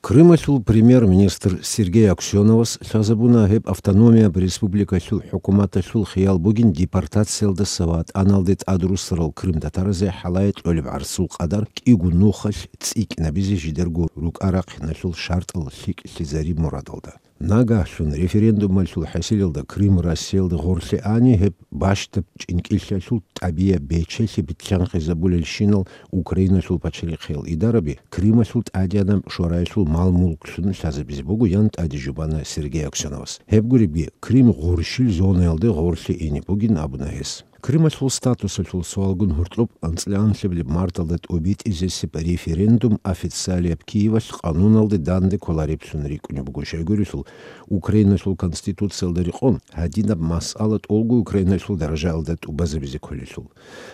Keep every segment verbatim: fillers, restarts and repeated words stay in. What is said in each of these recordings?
Крымалъул премьер-министр Сергей Аксёновас лъазабуна, гьеб автономияб республикалъул хӀукуматалъул хиял бугин депортациялдаса ватӀаналде тӀадруссарал крымтатаразе хӀалае кьолеб гӀарсул къадар кӀиго нухалъ цӀикӀкӀинабизе жидерго рукӀа-рахъиналъул шартӀал лъикӀлъизари мурадалда. Нагагьлъун референдумалъул хӀасилалда Крым Россиялда гъорлъе ани, гьеб бащдаб чӀинкӀиллъиялъул тӀабияб бечелъи битлъанхъизабулелщинал Украиналъул пачалихъиял идараби Крымалъул тӀадегӀанаб шораялъул мал-мулклъун лъазабизе буго, ян тӀаде жубана Сергей Аксёновас. Гьеб гуребги, Крым гъурщил зонаялде гъорлъе ине бугин абуна гьес. Крымалъул статусалъул суалгун гьоркьоб анцӀила анлъабилеб марталда тӀобитӀизесеб референдум официалияб Киевалъ къануналде данде кколареблъун рикӀкӀунеб буго. Щайгурелъул, Украиналъул Конституциялда рекъон, гьадинаб масъала тӀолго Украиналъул даражаялда тӀубазабизе кколелъул.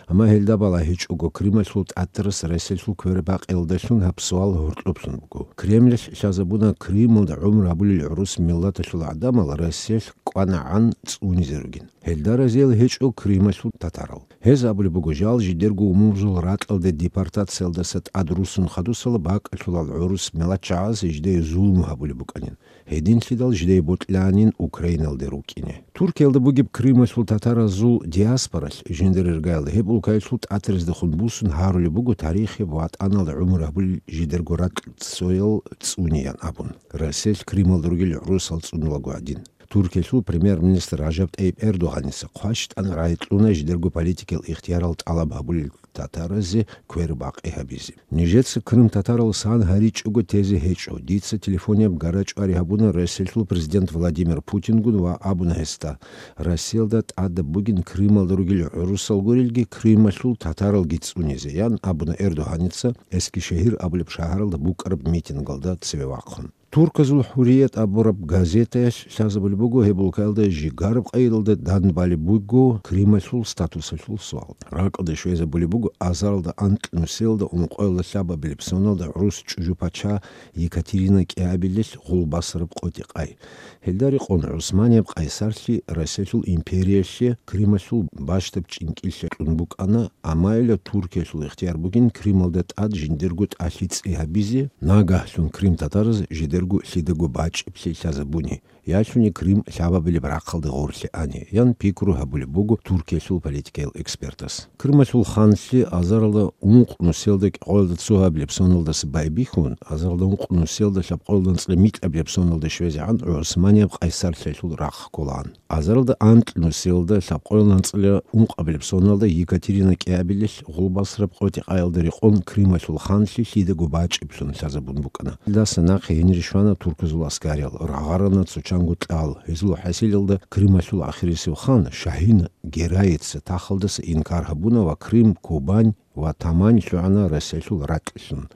Амма гьелда балагьичӀого, Крымалъул тӀатарас Россиялъул квербакъиялдалъун гьаб суал гьоркьоблъун буго. Кремлалъ лъазабуна Крымалда гӀумру гьабулел гӀурус миллаталъул гӀадамал Россиялъ кӀванагӀан цӀунизе ругин. Гьелда разиял гьечӀо Крымалъул татарал. Гьез абулеб буго, жал жидерго умумузул ракьалде депортациялдаса тӀадруссун хадусала бакӀалъулал гӀурус миллатчагӀаз жидее зулму гьабулеб букӀанин. Гьединлъидал жидее бокьанин Украиналде рукӀине. Туркиялда бугеб Крымалъул татаразул диаспоралъ жиндир иргаялда гьеб улкаялъул тӀатараздехун бусун гьарулеб буго тарихияб ватӀаналда гӀумру гьабулел жидерго ракь цоял цӀуниян абун, Россиялъ Крымалда ругел гӀурусал цӀунулаго гӀадин. Туркиялъул премьер-министр Ражаб ТӀайиб Эрдогъаница хъващтӀан рагӀи кьуна жидерго политикиял ихтиярал тӀалаб гьабулел татаразе квербакъи гьабизе. Нижеца крымтатарал сан гьаричӀого тезе гьечӀо. Дица телефонияб гарачӀвари гьабуна Россиялъул президент Владимир Путингун ва абуна гьесда, Россиялда тӀадаб бугин Крымалда ругел гӀурусал гурелги, Крымалъул татаралги цӀунизе, ян абуна Эрдогъаница Эскишехир абулеб шагьаралда букӀараб митингалда цеве вахъун. Турказул ХӀурият абураб газетаялъ лъазабулеб буго гьеб улкаялда жигараб къайдалда данбалеб буго Крымалъул статусалъул суал. РакӀалде щвезабулеб буго азаралда анкьнусиялда ункъоялда лъабабилеб соналда гӀурус чӀужу пача Екатерина кӀиабилелъ гъулбасараб къотӀи-къай. Гьелда рекъон ГӀусманияб къайсарлъи Россиялъул империялъе Крымалъул бащдаб чӀинкӀиллъи кьун букӀана, амма гьелда Туркиялъул ихтияр бугин Крымалда тӀад жиндирго тӀалъи цӀи гьабизе, нагагьлъун крымтатараз жидерго лъидаго бачӀиблъи лъазабуни, ялъуни Крым лъабабилеб рахъалде гъорлъе ани, ян пикру гьабулеб буго Туркиялъул политикиял экспертас. Крымалъул ханлъи азаралда ункънусиялда кӀикъоялда цо гьабилеб соналдаса байбихьун, азаралда ункънусиялда лъабкъоялда анцӀила микьабилеб соналда щвезегӀан ГӀусманияб къайсарлъиялъул рахъ кколаан. Азаралда анкьнусиялда лъабкъоялда анцӀила ункъабилеб соналда Екатерина кӀиабилелъ гъулбасараб къотӀи-къаялда рекъон Крымалъул ханлъи лъидаго бачӀиблъун лъазабун букӀана. Гьелдаса нахъе гьенире щвана турказул аскариял, рагъарана цо чанго кьал. Гьезул хӀасилалда Крымалъул ахирисев хан Шагьин Гераица тахалдаса инкар гьабуна ва Крым, Кубань ва Тамань лъугӀана Россиялъул ракьлъун.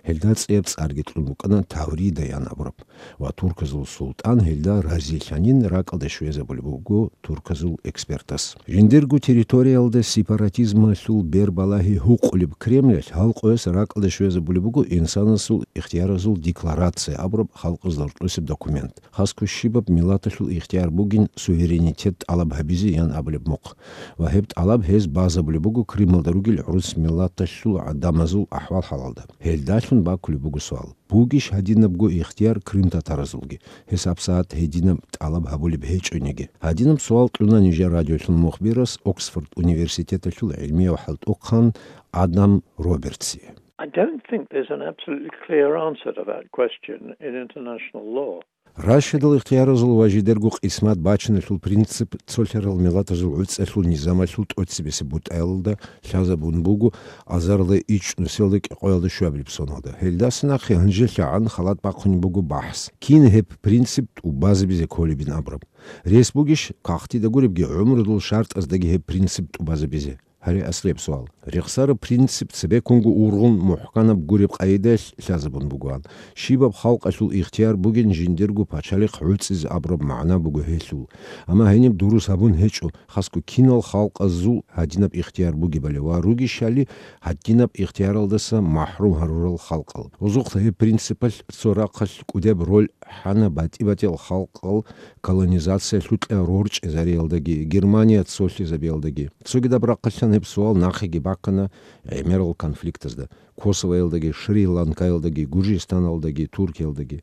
Гьелда цӀияб цӀарги кьун букӀана Таврида ян абураб. Ва турказул султӀан гьелда разилъанин, ракӀалде щвезабулеб буго турказул экспертас. Жиндирго территориялда сепаратизмалъул бербалагьи гьукъулеб Кремлалъ гьал къояс ракӀалде щвезабулеб буго инсанасул ихтияразул декларация абураб халкъазда рокьосеб документ. Хасго щибаб миллаталъул ихтияр бугин суверенитет тӀалаб гьабизе ян абулеб мухъ. Ва гьеб тӀалаб гьез базабулеб буго Крымалда ругел гӀурус миллаталъул гӀадамазул ахӀвал-хӀалалда. Гьелдалъун бакулеб буго суал: бугищ гьадинабго ихтияр крымтатаразулги? Гьес гьабсагӀат гьединаб тӀалаб гьабулеб гьечӀониги. Гьадинаб суал кьуна нижер радиолъул мухбирас Оксфорд университеталъул гӀилмияв хӀалтӀухъан Адам Робертсие. I don't think there's an absolutely clear answer to that question in international law. Рашидал ихтияразул ва жидерго къисмат бачиналъул принцип цолъарал миллатазул гӀуцӀалъул низамалъул тӀоцебесеб бутӀаялда лъазабун буго азарда ичӀнусиялда кӀикъоялда щуабилеб соналда. Гьелдаса нахъе гьанжелъагӀан халат бахъунеб буго бахӀс, кин гьеб принцип тӀубазабизе кколебин абураб. Рес бугищ, кагътида гуребги, гӀумрудул шартӀаздаги гьеб принцип тӀубазабизе? Гьаре аслияб суал. Рехсараб принцип цебеккунго ургъун мухӀканаб гуреб къайдаялъ лъазабун бугоан. Щибаб халкъалъул ихтияр бугин жиндирго пачалихъ гӀуцӀизе абураб магӀна буго гьелъул. Амма гьениб дурус гьабун гьечӀо, хасго кинал халкъазул гьадинаб ихтияр бугебали ва ругищали гьадинаб ихтияралдаса махӀрум гьарурал халкъал. Гьезухъа гьеб принципалъ цо рахъалъ кӀудияб роль хӀана батӀи-батӀиял халкъал колонизациялъукьа рорчӀезариялдаги, Германия цолъизабиялдаги. Цогидаб рахъалъан гьеб суал нахъеги бахъана гӀемерал конфликтазда. Косовоялдаги, Шри-Ланкаялдаги, Гуржистаналдаги, Туркиялдаги.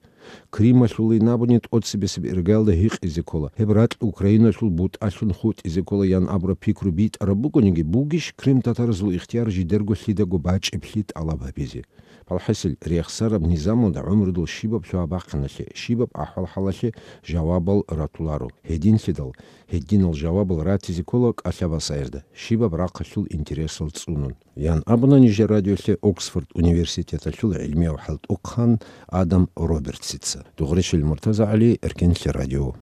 Крималъулин абуни тӀоцебесеб иргаялда гьикъизе ккола, гьеб ракь Украиналъул бутӀалъун хутӀизе ккола ян абураб пикру битӀараб бугониги, бугищ крим-татаразул ихтияр жидерго лъидаго бачӀиблъи тӀалаб гьабизе? Палхасил, рехсараб низамалда гӀумрудул щибаб лъугьа-бахъиналъе, щибаб ахӀвал-хӀалалъе жавабал ратуларо. Гьединлъидал, гьединал жавабал ратизе ккола кӀалъабасаерда, щибаб рахъалъул интересал цӀунун. Ян абуна нижер радиолъе Оксфорд университеталъул гӀилмияв хӀалтӀухъан Адам Робертсица. Дугъришил МуртазагӀали, Эркенлъи радио.